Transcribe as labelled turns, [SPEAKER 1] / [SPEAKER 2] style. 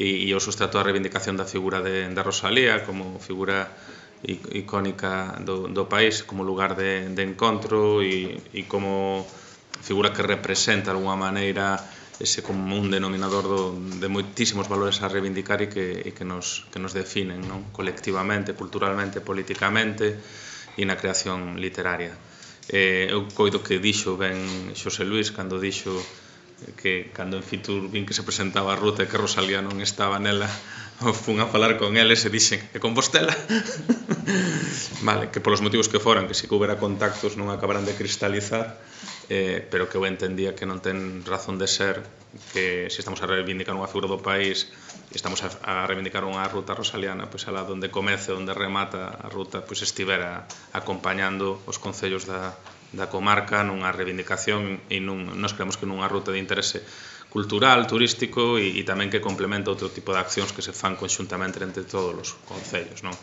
[SPEAKER 1] e o sustrato a reivindicación da figura de Rosalía como figura icónica do país, como lugar de encontro e como figura que representa de alguna maneira ese común denominador de moitísimos valores a reivindicar e que nos definen, non? Colectivamente, culturalmente, politicamente e na creación literaria. Eu coido que dixo ben Xosé Luís cando dixo que cando en Fitur vin que se presentaba a ruta e que Rosalía non estaba nela, fun a falar con eles e dixen, e Compostela? Vale, que polos motivos que foran, que si que houbera contactos non acabaran de cristalizar, pero que eu entendía que non ten razón de ser que se estamos a reivindicar unha figura do país e estamos a reivindicar unha ruta rosaliana, pois alá donde comece, onde remata a ruta, pois estivera acompañando os concellos da comarca nunha reivindicación e nos creemos que nunha ruta de interese cultural, turístico e tamén que complementa outro tipo de accións que se fan conxuntamente entre todos os concellos, non?